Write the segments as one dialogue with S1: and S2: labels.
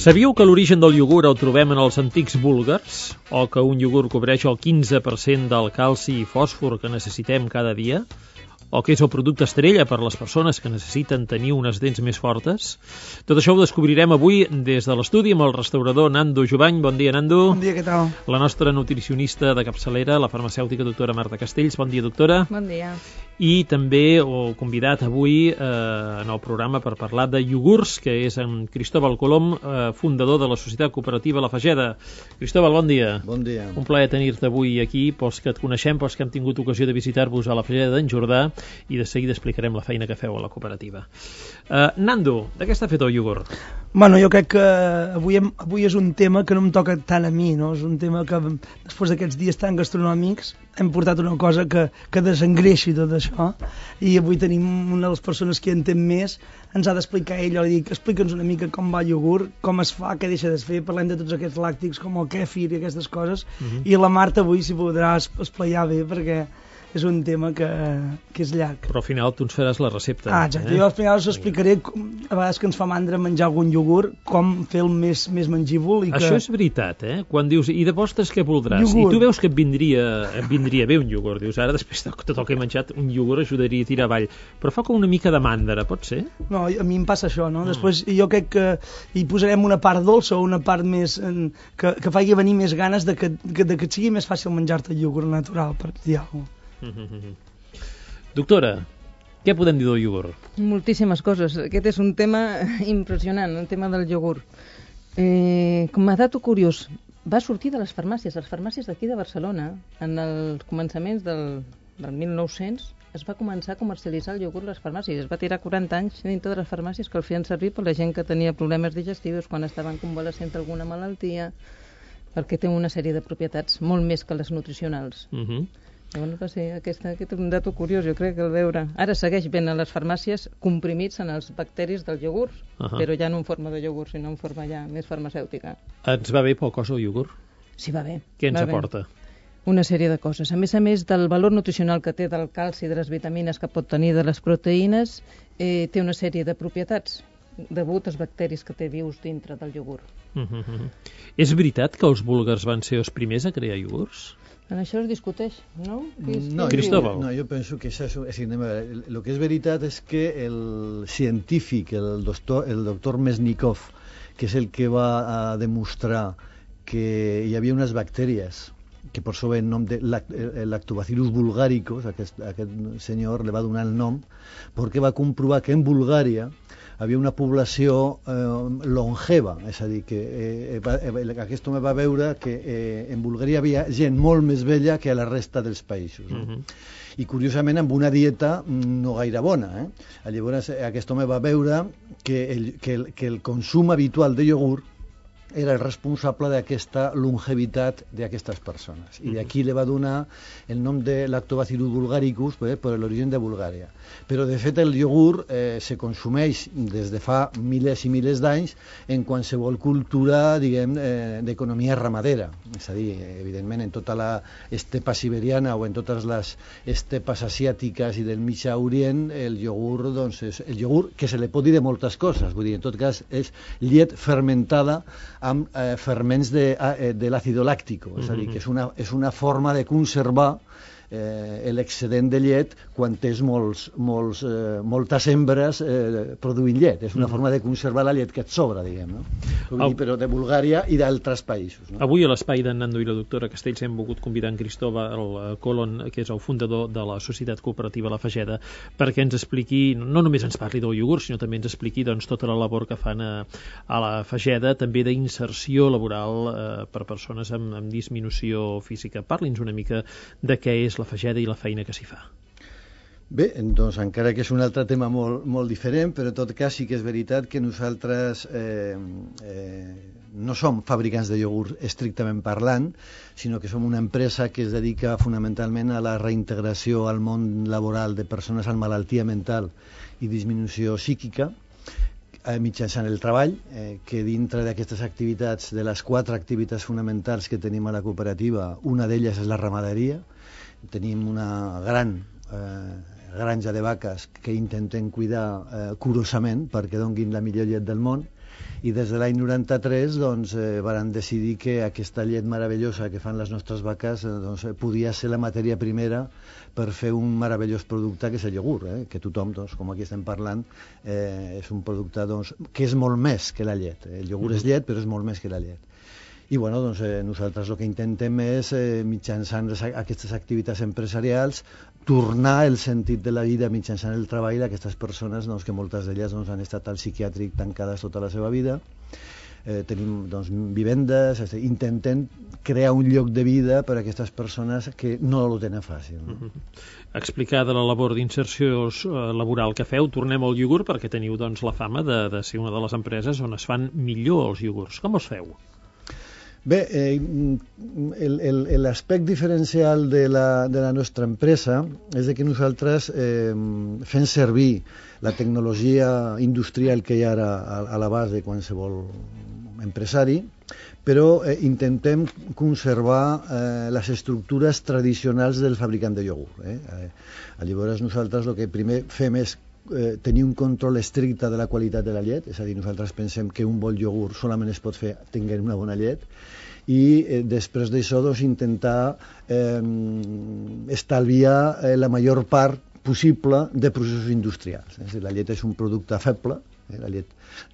S1: Sabíeu que l'origen del iogurt el trobem en els antics búlgars? O que un iogurt cobreix el 15% del calci i fòsfor que necessitem cada dia? O que és el producte estrella per a les persones que necessiten tenir unes dents més fortes? Tot això ho descobrirem avui des de l'estudi amb el restaurador Nando Jovany. Bon dia, Nando.
S2: Bon dia, què tal?
S1: La nostra nutricionista de capçalera, la farmacèutica doctora Marta Castells. Bon dia, doctora.
S3: Bon dia.
S1: I també el convidat avui en el programa per parlar de iogurts, que és en Cristóbal Colom, fundador de la Societat Cooperativa La Fageda. Cristóbal, bon dia.
S4: Bon dia.
S1: Un plaer tenir-te avui aquí, pels que et coneixem, pels que hem tingut ocasió de visitar-vos a la Fageda d'en Jordà, i de seguida explicarem la feina que feu a la cooperativa. Nando, de què està fet el iogurt?
S2: Bueno, jo crec que avui és un tema que no em toca tant a mi, no? És un tema que després d'aquests dies tan gastronòmics hem portat una cosa que desengreixi tot això, i avui tenim una de les persones que entén més, ens ha d'explicar ell. Jo li dic, explica'ns una mica com va el iogurt, com es fa, què deixa de fer, parlem de tots aquests làctics com el kèfir i aquestes coses, i la Marta avui s'hi podrà esplaiar bé, perquè és un tema que és llarg.
S1: Però al final tu ens faràs la recepta.
S2: Exacte. Jo al final us explicaré, a vegades que ens fa mandra menjar algun iogurt, com fer el més mengível.
S1: Això és veritat, Quan dius, i de postres què voldràs? Iogurt. I tu veus que et vindria bé un iogurt. Dius, ara després de tot el que he menjat, un iogurt ajudaria a tirar avall. Però fa com una mica de mandra, pot ser?
S2: No, a mi em passa això, no? Després jo crec que hi posarem una part dolça o una part més que faci venir més ganes de que et sigui més fàcil menjar-te el iogurt natural, per dir alguna cosa.
S1: Doctora, què podem dir del iogurt?
S3: Moltíssimes coses. Aquest és un tema impressionant, el tema del iogurt. Com a dato curiós, va sortir de les farmàcies d'aquí de Barcelona, en els començaments del 1900, es va començar a comercialitzar el iogurt a les farmàcies. Es va tirar 40 anys dintre de les farmàcies que el feien servir per la gent que tenia problemes digestius, quan estaven convalescent alguna malaltia, perquè té una sèrie de propietats, molt més que les nutricionals. Bueno, va ser aquest és un dato curiós, jo crec, el veure. Ara segueix ben a les farmàcies comprimits en els bacteris del iogurt, però ja no en forma de iogurt, sinó en forma ja més farmacèutica.
S1: Ens va bé pel cos el iogurt?
S3: Sí, va bé.
S1: Què ens aporta?
S3: Una sèrie de coses. A més del valor nutricional que té del calci, de les vitamines que pot tenir, de les proteïnes, té una sèrie de propietats degut als bacteris que té vius dintre del iogurt.
S1: És veritat que els búlgars van ser els primers a crear iogurts?
S3: En això es discuteix, no?
S1: Cristóbal.
S4: No, jo penso que això és... El que és veritat és que el científic, el doctor Mesnikov, que és el que va demostrar que hi havia unes bactèries que per això ve el nom de Lactobacillus bulgaricus, aquest senyor li va donar el nom, perquè va comprovar que en Bulgària havia una població longeva, és a dir, que aquest home va veure que en Bulgària havia gent molt més vella que a la resta dels països. I curiosament amb una dieta no gaire bona. Llavors aquest home va veure que el consum habitual de iogurt era el responsable d'aquesta longevitat d'aquestes persones. I d'aquí li va donar el nom de Lactobacillus bulgaricus per l'origen de Bulgària. Però, de fet, el iogurt se consumeix des de fa milers i milers d'anys en qualsevol cultura, diguem, d'economia ramadera. És a dir, evidentment, en tota l'estepa siberiana o en totes les estepes asiàtiques i del Mitjà Orient, el iogurt, doncs, és el iogurt que se li pot dir de moltes coses. Vull dir, en tot cas, és llet fermentada amb ferments de l'àcido làctico, és a dir, que és una forma de conservar l'excedent de llet quan tens moltes hembres produint llet. És una forma de conservar la llet que et sobra, diguem, no? Però de Bulgària i d'altres països.
S1: Avui a l'espai d'en Nando i la doctora Castells hem volgut convidar en Cristóbal Colom, que és el fundador de la Societat Cooperativa La Fageda, perquè ens expliqui, no només ens parli del iogurt, sinó també ens expliqui tota la labor que fan a la Fageda, també d'inserció laboral per persones amb disminució física. Parli'ns una mica de què és la Fageda i la feina que s'hi fa.
S4: Bé, doncs encara que és un altre tema molt diferent, però en tot cas sí que és veritat que nosaltres no som fabricants de iogurt estrictament parlant, sinó que som una empresa que es dedica fonamentalment a la reintegració al món laboral de persones amb malaltia mental i disminució psíquica, mitjançant el treball, que dintre d'aquestes activitats, de les 4 activitats fonamentals que tenim a la cooperativa, una d'elles és la ramaderia. Tenim una gran granja de vaques que intentem cuidar curosament perquè donguin la millor llet del món, i des de l'any 93 doncs, van decidir que aquesta llet meravellosa que fan les nostres vaques doncs, podia ser la matèria primera per fer un meravellós producte que és el iogurt, que tothom, doncs, com aquí estem parlant, és un producte doncs, que és molt més que la llet. El iogurt és llet, però és molt més que la llet. I bueno, doncs, nosaltres el que intentem és, mitjançant aquestes activitats empresarials, tornar el sentit de la vida mitjançant el treball d'aquestes persones, doncs, que moltes d'elles doncs, han estat al psiquiàtric tancades tota la seva vida. Tenim doncs, vivendes, intentem crear un lloc de vida per a aquestes persones que no ho tenen fàcil. No?
S1: Explicada la labor d'inserció laboral que feu, tornem al iogurt perquè teniu doncs, la fama de ser una de les empreses on es fan millor els iogurts. Com els feu?
S4: Bé, l'aspecte diferencial de la nostra empresa és que nosaltres fem servir la tecnologia industrial que hi ha ara a l'abast de qualsevol empresari, però intentem conservar les estructures tradicionals del fabricant de iogurt. Llavors nosaltres el que primer fem és tenir un control estricte de la qualitat de la llet, és a dir, nosaltres pensem que un bon iogurt solament es pot fer tenint una bona llet, i després d'això doncs, intentar estalviar la major part possible de processos industrials. És a dir, la llet és un producte feble, la llet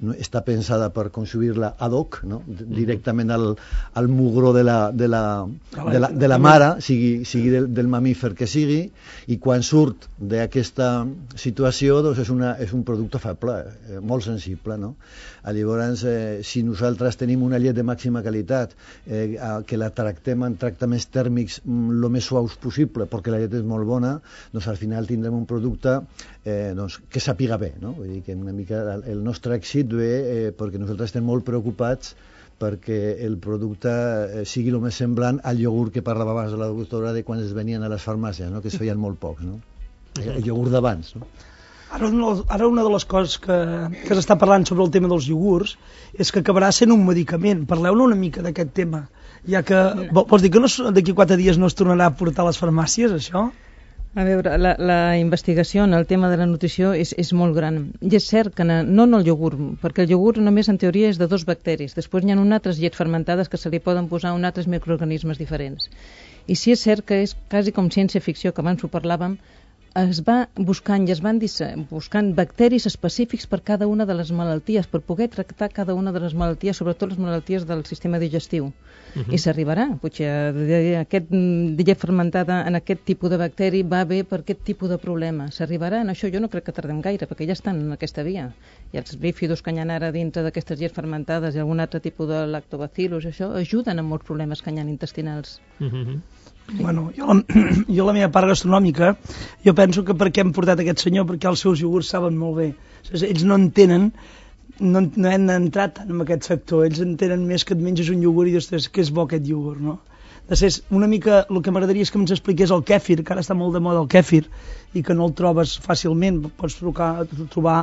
S4: no està pensada per consumir-la ad hoc, no? Directament al mugró de la mare, sigui del mamífer que sigui, i quan surt d'aquesta situació doncs és un producte feble, molt sensible, no? Llavors, si nosaltres tenim una llet de màxima qualitat, que la tractem en tractaments tèrmics el més suaus possible, perquè la llet és molt bona, doncs al final tindrem un producte doncs, que sàpiga bé, no? Vull dir que una mica el nostre èxit ve perquè nosaltres estem molt preocupats perquè el producte sigui el més semblant al iogurt que parlava abans de la doctora de quan es venien a les farmàcies, no? Que es feien molt pocs, no? El iogurt d'abans, no?
S2: Ara una de les coses que s'està parlant sobre el tema dels iogurts és que acabarà sent un medicament. Parleu-ne una mica d'aquest tema, ja que vols dir que d'aquí 4 dies no es tornarà a portar a les farmàcies, això?
S3: A veure, la investigació en el tema de la nutrició és molt gran. I és cert que no en el iogurt, perquè el iogurt només en teoria és de 2 bacteris. Després hi ha altres llets fermentades que se li poden posar altres microorganismes diferents. I sí és cert que és quasi com ciència-ficció, que abans ho parlàvem, es va buscant i es van buscant bacteris específics per cada una de les malalties, per poder tractar cada una de les malalties, sobretot les malalties del sistema digestiu. I s'arribarà. Potser aquest llet fermentada en aquest tipus de bacteri va bé per aquest tipus de problema. S'arribarà en això. Jo no crec que tardem gaire, perquè ja estan en aquesta via. I els bífidos que hi ha ara dintre d'aquestes llets fermentades i algun altre tipus de lactobacillus, això ajuden a molts problemes que hi ha intestinals.
S2: Bueno, jo la meva part gastronòmica, jo penso que per què hem portat aquest senyor, perquè els seus iogurts saben molt bé. Ells no entenen, no hem entrat tant en aquest sector, ells entenen més que et menges un iogurt i dius que és bo aquest iogurt, no? Després, una mica, el que m'agradaria és que ens expliqués el kèfir, que ara està molt de moda el kèfir, i que no el trobes fàcilment, pots trobar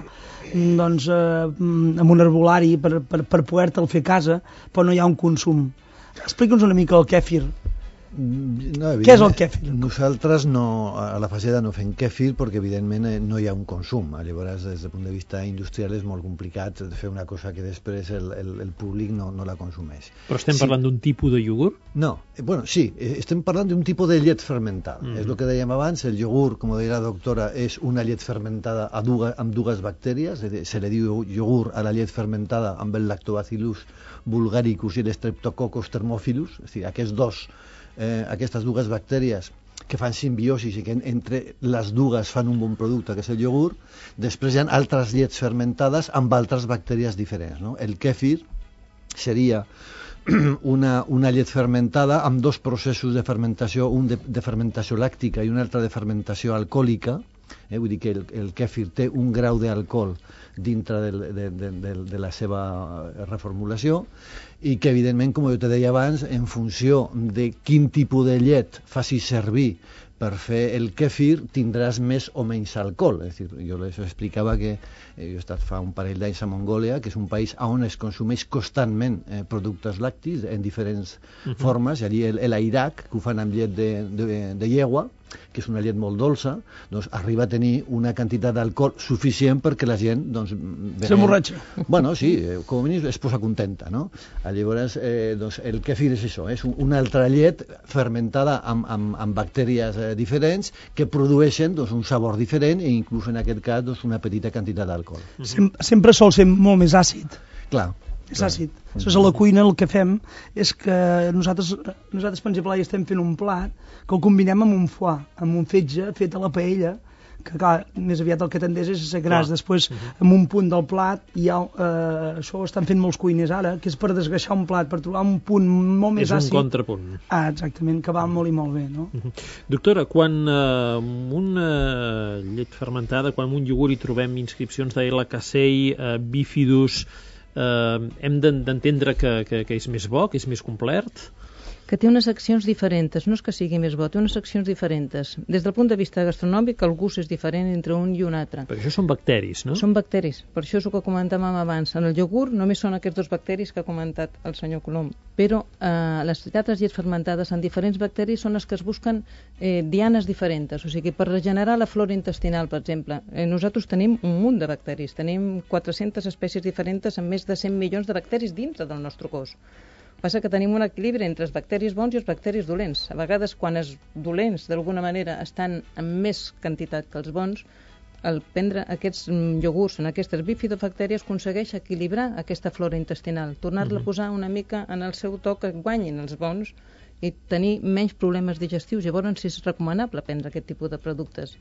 S2: doncs, en un herbolari per poder-te'l fer a casa, però no hi ha un consum. Explica'ns una mica el kèfir.
S4: No,
S2: què és el kèfir?
S4: Nosaltres a la faceta no fem kèfir perquè evidentment no hi ha un consum. Llavors, des del punt de vista industrial és molt complicat fer una cosa que després el públic no la consumeix.
S1: Però estem parlant d'un tipus de iogurt?
S4: No, bueno, sí, estem parlant d'un tipus de llet fermentada. És el que dèiem abans, el iogurt, com deia la doctora, és una llet fermentada amb 2 bactèries, se li diu iogurt a la llet fermentada amb el lactobacillus bulgaricus i l'streptococcus thermophilus, és a dir, aquestes 2 bactèries que fan simbiosi i que entre les 2 fan un bon producte, que és el iogurt. Després hi ha altres llets fermentades amb altres bactèries diferents, no? El kèfir seria una llet fermentada amb 2 processos de fermentació, un de fermentació làctica i un altre de fermentació alcohòlica. Vull dir que el kèfir té un grau d'alcohol dintre de la seva reformulació i que evidentment, com jo te deia abans, en funció de quin tipus de llet facis servir per fer el kèfir tindràs més o menys alcohol. És dir, jo les explicava que jo he estat fa un parell d'anys a Mongòlia, que és un país on es consumeix constantment productes làctics en diferents formes, i allí l'Iraq, que ho fan amb llet de llegua, que és una llet molt dolça, doncs arriba a tenir una quantitat d'alcohol suficient perquè la gent doncs,
S2: s'emborratxa.
S4: Bueno, sí, com a mínim es posa contenta, no? Llavors, doncs, el kefir és això, és una altra llet fermentada amb bactèries diferents que produeixen doncs, un sabor diferent i inclús en aquest cas doncs, una petita quantitat d'alcohol.
S2: Sempre sol ser molt més àcid.
S4: Clar.
S2: És àcid. Aleshores, a la cuina el que fem és que nosaltres per exemple, ja estem fent un plat que el combinem amb un foie, amb un fetge fet a la paella, que clar, més aviat el que tendeix és a ser gras. Després, amb un punt del plat, això ho estan fent molts cuiners ara, que és per desgreixar un plat, per trobar un punt molt més àcid.
S1: És un contrapunt.
S2: Exactament, que va molt i molt bé, no?
S1: Doctora, quan una llet fermentada, quan en un iogurt hi trobem inscripcions de L-Casei, bifidus, hem d'entendre que és més bo, que és més complet?
S3: Que té unes accions diferents, no és que sigui més bo, té unes accions diferents. Des del punt de vista gastronòmic, el gust és diferent entre un i un altre.
S1: Perquè això són bacteris, no?
S3: Són bacteris, per això és el que comentàvem abans. En el iogurt només són aquests dos bacteris que ha comentat el senyor Colom, però les altres llets fermentades amb diferents bacteris són les que es busquen dianes diferents, o sigui, per regenerar la flora intestinal, per exemple. Nosaltres tenim un munt de bacteris, tenim 400 espècies diferents amb més de 100 milions de bacteris dintre del nostre cos. Passa que tenim un equilibri entre els bacteris bons i els bacteris dolents. A vegades, quan els dolents, d'alguna manera, estan en més quantitat que els bons, al prendre aquests iogurts en aquestes bifidobactèries aconsegueix equilibrar aquesta flora intestinal, tornar-la a posar una mica en el seu to que guanyin els bons i tenir menys problemes digestius. Llavors, és recomanable prendre aquest tipus de productes.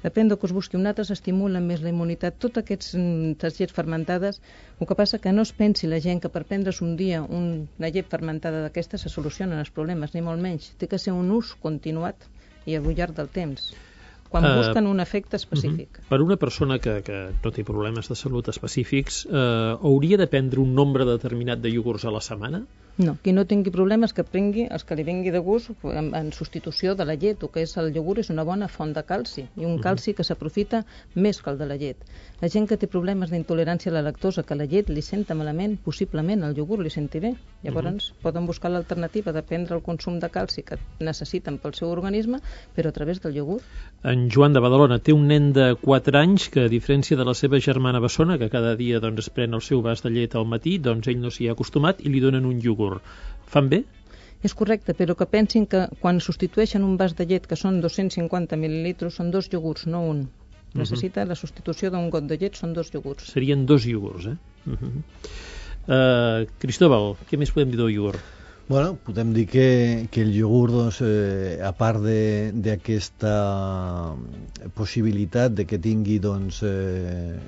S3: Depèn del que us busqui. Un altre s'estimulen més la immunitat. Totes aquestes llets fermentades, el que passa que no es pensi la gent que per prendre's un dia una llet fermentada d'aquesta se solucionen els problemes, ni molt menys. Té que ser un ús continuat i al llarg del temps, quan busquen un efecte específic.
S1: Per una persona que no té problemes de salut específics, hauria de prendre un nombre determinat de iogurts a la setmana?
S3: No, qui no tingui problemes que prengui els que li vingui de gust en substitució de la llet. El que és el iogurt és una bona font de calci i un calci que s'aprofita més que el de la llet. La gent que té problemes d'intolerància a la lactosa, que la llet li senta malament, possiblement el iogurt li senti bé. Llavors poden buscar l'alternativa de prendre el consum de calci que necessiten pel seu organisme, però a través del iogurt.
S1: En Joan de Badalona té un nen de 4 anys que, a diferència de la seva germana bessona, que cada dia es pren el seu vas de llet al matí, doncs ell no s'hi ha acostumat i li donen un iogurt. Fan bé?
S3: És correcte, però que pensin que quan substitueixen un vas de llet, que són 250 mil·lilitres, són 2 iogurts, no un. Necessita la substitució d'un got de llet, són 2 iogurts.
S1: Serien 2 iogurts, Cristóbal, què més podem dir del iogurt?
S4: Bueno, podem dir que el iogurt, doncs, a part d'aquesta possibilitat de que tingui doncs,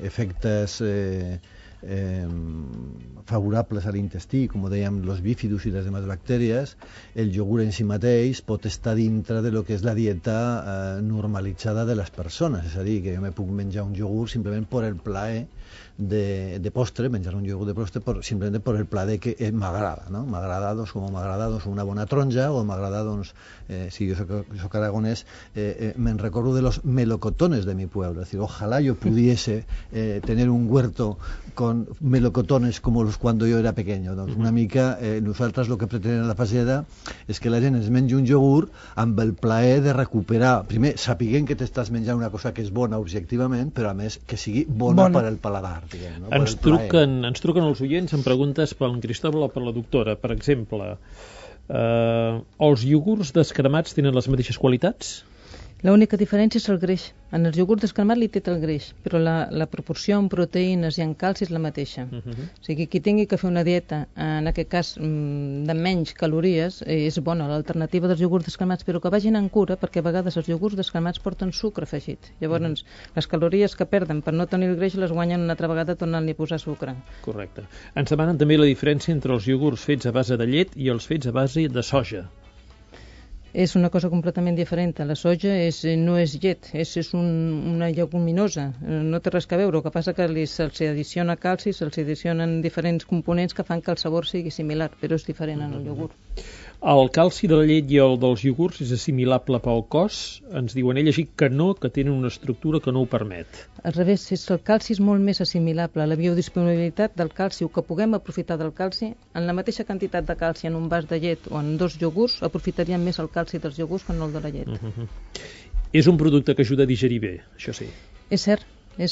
S4: efectes favorables a l'intestí, com dèiem, los bífidus i les demás bactèries, el iogurt en si mateix pot estar dintre de lo que és la dieta normalitzada de les persones, és a dir, que jo me puc menjar un iogurt simplement per el plaer de postre, menjar un iogurt de postre simplement per el plaer que m'agrada, no? M'agrada, doncs, com m'agrada doncs, una bona taronja, o m'agrada, doncs, si jo soc aragonès, me'n recordo de los melocotones de mi pueblo, es decir, ojalá yo pudiese tener un huerto con melocotones como los cuando yo era pequeño. Doncs una mica nosaltres el que pretenem a la Fageda és que la gent es mengi un iogurt amb el plaer de recuperar, primer, sapiguent que t'estàs menjant una cosa que és bona objectivament, però a més que sigui bona per al paladar. Diguem, no?
S1: Ens truquen els oients amb preguntes pel Cristóbal o per la doctora. Per exemple, els iogurts descremats tenen les mateixes qualitats?
S3: L'única diferència és el greix. En els iogurts descremat li té el greix, però la proporció en proteïnes i en calci és la mateixa. O sigui, qui tingui que fer una dieta, en aquest cas de menys calories, és bona l'alternativa dels iogurts descremats, però que vagin en cura, perquè a vegades els iogurts descremats porten sucre afegit. Llavors, les calories que perden per no tenir el greix les guanyen una altra vegada tornant-li a posar sucre.
S1: Correcte. Ens demanen també la diferència entre els iogurts fets a base de llet i els fets a base de soja.
S3: És una cosa completament diferent. La soja no és llet, és una lleguminosa, no té res a veure. El que passa que se'ls addiciona calci, se'ls addicionen diferents components que fan que el sabor sigui similar, però és diferent en el iogurt.
S1: El calci de la llet i el dels iogurts és assimilable pel cos? Ens diuen ell així que no, que tenen una estructura que no ho permet.
S3: Al revés, el calci és molt més assimilable. La biodisponibilitat del calci, o que puguem aprofitar del calci, en la mateixa quantitat de calci en un vas de llet o en 2 iogurts, aprofitaríem més el calci dels iogurts que no el de la llet.
S1: És un producte que ajuda a digerir bé, això sí.
S3: És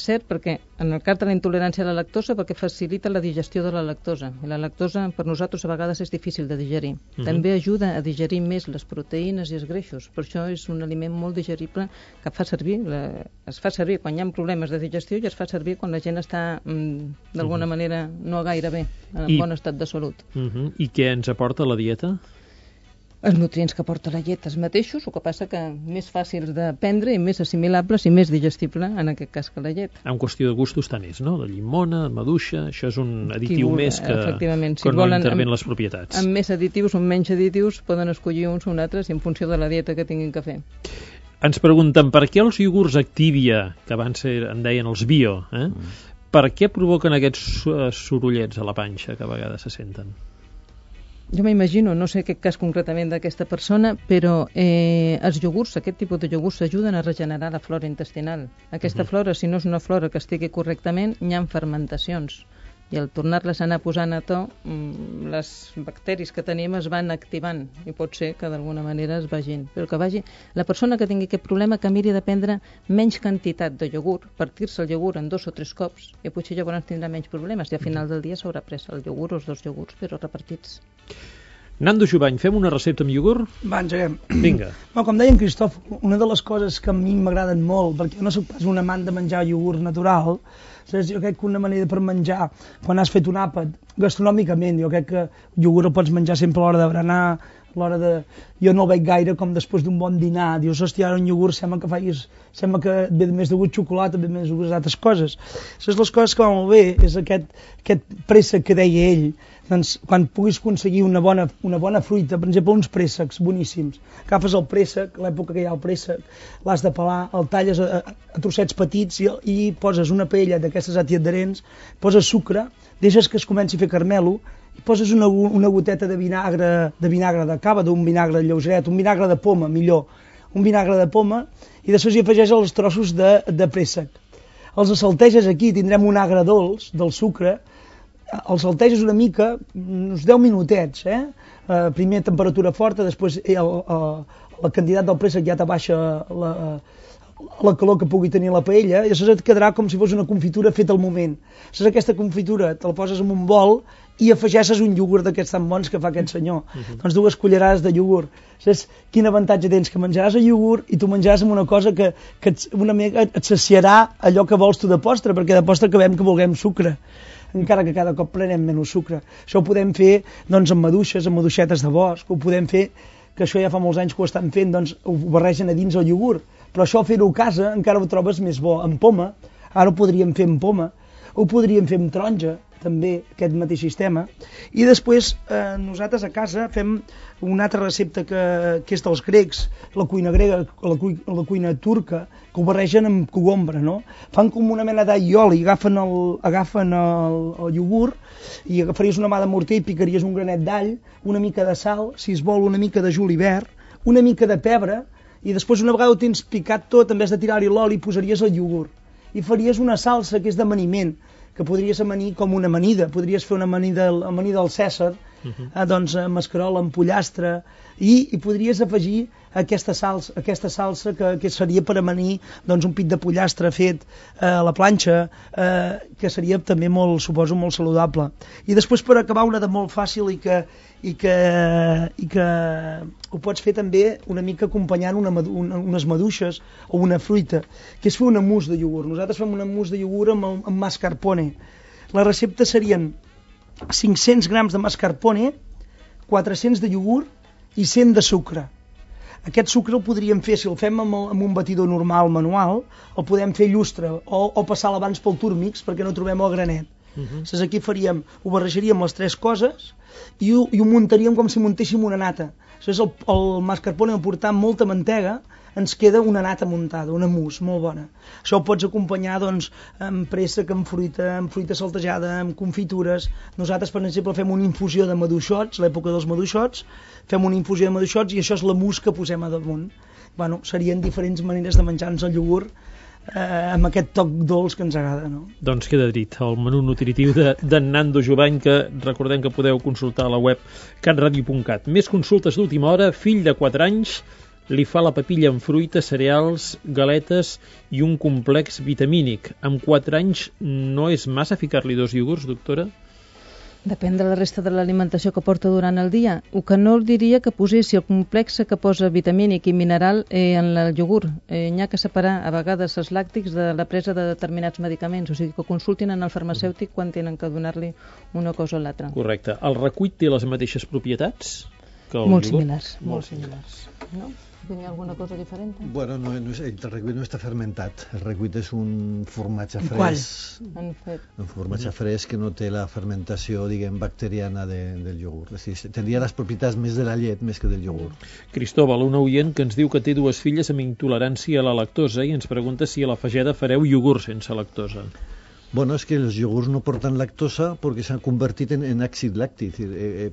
S3: cert perquè en el cas de la intolerància a la lactosa perquè facilita la digestió de la lactosa i la lactosa per nosaltres a vegades és difícil de digerir. També ajuda a digerir més les proteïnes i els greixos, per això és un aliment molt digerible que es fa servir quan hi ha problemes de digestió i es fa servir quan la gent està d'alguna manera no gaire bé, en bon estat de salut.
S1: I què ens aporta la dieta?
S3: Els nutrients que aporta la llet els mateixos, el que passa que més fàcils de prendre i més assimilables i més digestible en aquest cas que la llet.
S1: En qüestió de gustos tant és, no? De llimona, maduixa, això és un additiu més que
S3: si
S1: quan no intervenen les propietats.
S3: Amb més additius o menys additius poden escollir uns o altres en funció de la dieta que tinguin que fer.
S1: Ens pregunten per què els iogurts Activia, que abans en deien els bio, per què provoquen aquests sorollets a la panxa que a vegades se senten?
S3: Jo m'imagino, no sé aquest cas concretament d'aquesta persona, però els iogurts, aquest tipus de iogurts ajuden a regenerar la flora intestinal. Aquesta flora, si no és una flora que estigui correctament, hi ha fermentacions. I al tornar-les a anar posant a to, les bacteris que tenim es van activant i pot ser que d'alguna manera es vagin. Però que vagi, la persona que tingui aquest problema que miri de prendre menys quantitat de iogurt, partir-se el iogurt en 2 o 3 cops i potser llavors tindrà menys problemes i al final del dia s'haurà pres el iogurt o els 2 iogurts però repartits.
S1: Nando Jubany, fem una recepta amb iogurt?
S2: Va, engeguem.
S1: Vinga.
S2: Bueno, com deia en Cristòfol, una de les coses que a mi m'agraden molt, perquè jo no soc pas un amant de menjar iogurt natural, jo crec que una manera per menjar, quan has fet un àpat, gastronòmicament, jo crec que el iogurt el pots menjar sempre a l'hora de berenar, a l'hora de... Jo no el veig gaire com després d'un bon dinar, dius, hòstia, ara un iogurt sembla que et ve més de gust xocolata, ve més de gust d'altres coses. Les coses que va molt bé és aquest préssec que deia ell, doncs, quan puguis aconseguir una bona fruita, per exemple, uns préssecs boníssims, agafes el préssec, l'època que hi ha el préssec, l'has de pelar, el talles a trossets petits i poses una paella d'aquestes antiadherents, poses sucre, deixes que es comenci a fer caramelo, i poses una goteta de vinagre de cava, d'un vinagre lleugeret, un vinagre de poma, millor, un vinagre de poma, i després hi afegeix els trossos de préssec. Els salteges aquí, tindrem un agre dolç del sucre, els salteges una mica, uns 10 minutets, primer temperatura forta, després la quantitat del préssec ja t'abaixa la calor que pugui tenir la paella, i això et quedarà com si fos una confitura feta al moment. Aquesta confitura te la poses en un bol i afegeixes un iogurt d'aquests tan bons que fa aquest senyor. Doncs 2 cullerades de iogurt. Saps quin avantatge tens? Que menjaràs el iogurt i tu menjaràs amb una cosa que una mica et saciarà allò que vols tu de postre, perquè de postre acabem que vulguem sucre, encara que cada cop prenem menys sucre. Això ho podem fer doncs, amb maduixes, amb maduixetes de bosc, ho podem fer, que això ja fa molts anys que ho estan fent, doncs ho barregen a dins el iogurt. Però això fer-ho a casa encara ho trobes més bo. Amb poma, ara ho podríem fer amb poma, ho podríem fer amb taronja, també, aquest mateix sistema. I després nosaltres a casa fem una altra recepta que és dels grecs, la cuina grega, la cuina turca, que ho barregen amb cogombre, no? Fan com una mena d'all i oli, agafen el iogurt i agafaries una mà de morter i picaries un granet d'all, una mica de sal, si es vol una mica de julivert, una mica de pebre, i després una vegada ho tens picat tot, en vez de tirar-hi l'oli, posaries el iogurt i faries una salsa que és d'amaniment, que podries amanir com una amanida, podries fer una amanida al Cèsar, doncs amb escarola, amb pollastre, i podries afegir aquesta salsa que seria per amanir doncs, un pit de pollastre fet a la planxa, que seria també suposo molt saludable. I després per acabar una de molt fàcil i que ho pots fer també una mica acompanyant unes maduixes o una fruita, que és fer una mousse de iogurt. Nosaltres fem una mousse de iogurt amb mascarpone. La recepta serien 500 grams de mascarpone, 400 de iogurt i 100 de sucre. Aquest sucre el podríem fer, si el fem amb un batidor normal, manual, el podem fer llustre o passar abans pel túrmix perquè no trobem el granet. Aquí ho barrejaríem les 3 coses i ho muntaríem com si muntéssim una nata. El mascarpone aportant molta mantega ens queda una nata muntada, una mousse molt bona. Això ho pots acompanyar doncs, amb préssec, amb fruita saltejada, amb confitures. Nosaltres, per exemple, fem una infusió de maduixots, l'època dels maduixots, fem una infusió de maduixots i això és la mousse que posem a damunt. Bueno, serien diferents maneres de menjar-nos el iogurt amb aquest toc dolç que ens agrada, no?
S1: Doncs queda dit, el menú nutritiu de Nando Jubany, que recordem que podeu consultar a la web catradio.cat. Més consultes d'última hora, fill de 4 anys, li fa la papilla amb fruita, cereals, galetes i un complex vitamínic. Amb 4 anys no és massa ficar-li 2 iogurts, doctora?
S3: Depèn de la resta de l'alimentació que porta durant el dia. El que no diria que posessi el complex que posa vitamínic i mineral en el iogurt. N'hi ha que separar a vegades els làctics de la presa de determinats medicaments, o sigui que consultin en el farmacèutic quan tenen que donar-li una cosa o l'altra.
S1: Correcte. El recuit té les mateixes propietats que el
S3: Molt
S1: iogurt?
S3: similars, molt similars. No? ¿Tiene alguna cosa diferente?
S4: Bueno, el recuit no està fermentat. El recuit és un formatge
S2: Qual?
S4: fresc.
S3: En
S4: Un formatge fresc que no té la fermentació, diguem, bacteriana del iogurt. És a dir, tindria les propietats més de la llet més que del iogurt.
S1: Cristóbal, un oient que ens diu que té 2 filles amb intolerància a la lactosa i ens pregunta si a la Fageda fareu iogurt sense lactosa.
S4: Bueno, és que els iogurts no porten lactosa perquè s'han convertit en àcid làctic.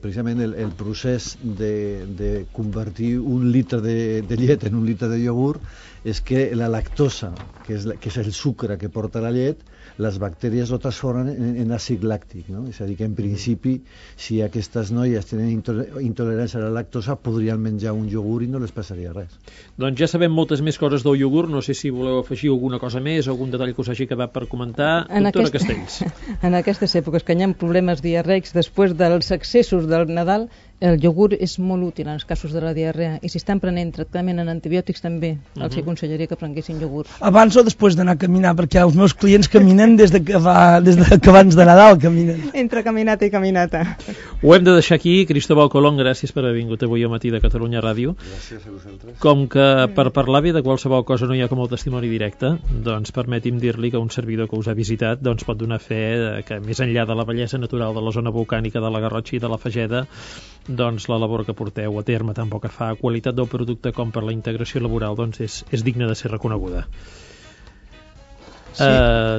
S4: Precisament el procés de convertir un litre de llet en un litre de iogurt és que la lactosa, que és el sucre que porta la llet, les bactèries ho transformen en àcid làctic, no? És a dir, que en principi, si aquestes noies tenen intolerància a la lactosa, podrien menjar un iogurt i no les passaria res.
S1: Doncs ja sabem moltes més coses del iogurt, no sé si voleu afegir alguna cosa més, algun detall que us hagi quedat per comentar. Doctora Castells.
S3: En aquestes èpoques que hi ha problemes diarreics després dels excessos del Nadal, el iogurt és molt útil en els casos de la diarrea i si estan prenent tractament en antibiòtics també els aconsellaria que prenguessin iogurt.
S2: Abans o després d'anar a caminar, perquè els meus clients caminen des de que abans de Nadal caminen.
S3: Entre caminata i caminata.
S1: Ho hem de deixar aquí. Cristóbal Colón, gràcies per haver vingut avui al matí de Catalunya Ràdio.
S4: Gràcies a vosaltres.
S1: Com que per parlar bé de qualsevol cosa no hi ha com el testimoni directe, doncs permeti'm dir-li que un servidor que us ha visitat doncs pot donar fe que més enllà de la bellesa natural de la zona volcànica de la Garrotxa i de la Fageda, doncs la labor que porteu a terme tant pel que fa a qualitat del producte com per la integració laboral doncs és digna de ser reconeguda. Sí.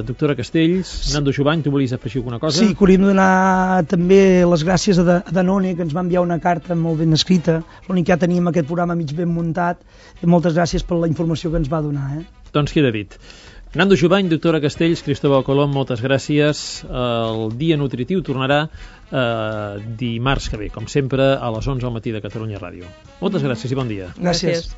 S1: Doctora Castells, Nando Jovany, tu volies afegir alguna cosa?
S2: Sí, que hauríem de donar també les gràcies a Danone, que ens va enviar una carta molt ben escrita, l'únic que ja teníem aquest programa mig ben muntat, i moltes gràcies per la informació que ens va donar.
S1: Doncs queda dit. Nando Jovany, doctora Castells, Cristóbal Colón, moltes gràcies. El Dia Nutritiu tornarà dimarts que ve, com sempre, a les 11 al matí de Catalunya Ràdio. Moltes gràcies i bon dia.
S2: Gràcies.